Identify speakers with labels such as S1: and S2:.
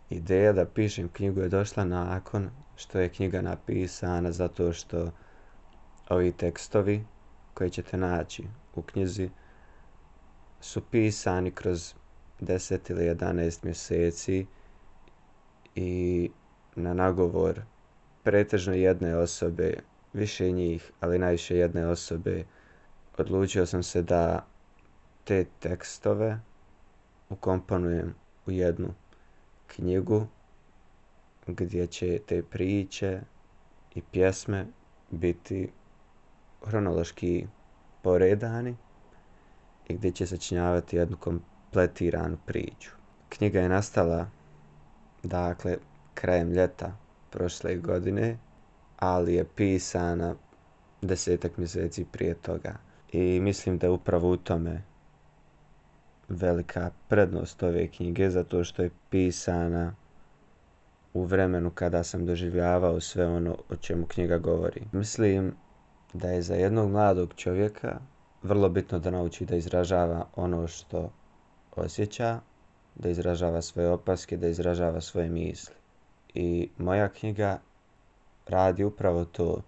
S1: Ideja da pišem knjigu je došla nakon što je knjiga napisana, zato što ovi tekstovi koje ćete naći u knjizi su pisani kroz 10 ili 11 mjeseci i na nagovor pretežno jedne osobe, više njih, ali najviše jedne osobe. Odlučio sam se da te tekstove ukomponujem u jednu knjigu gdje će te priče i pjesme biti hronološki poredani i gdje će sačinjavati jednu kompletiranu priču. Knjiga je nastala, dakle, krajem ljeta prošle godine, ali je pisana 10 mjeseci prije toga. I mislim da je upravo u tome velika prednost ove knjige, zato što je pisana u vremenu kada sam doživljavao sve ono o čemu knjiga govori. Mislim da je za jednog mladog čovjeka vrlo bitno da nauči da izražava ono što osjeća, da izražava svoje opaske, da izražava svoje misli. I moja knjiga radi upravo to.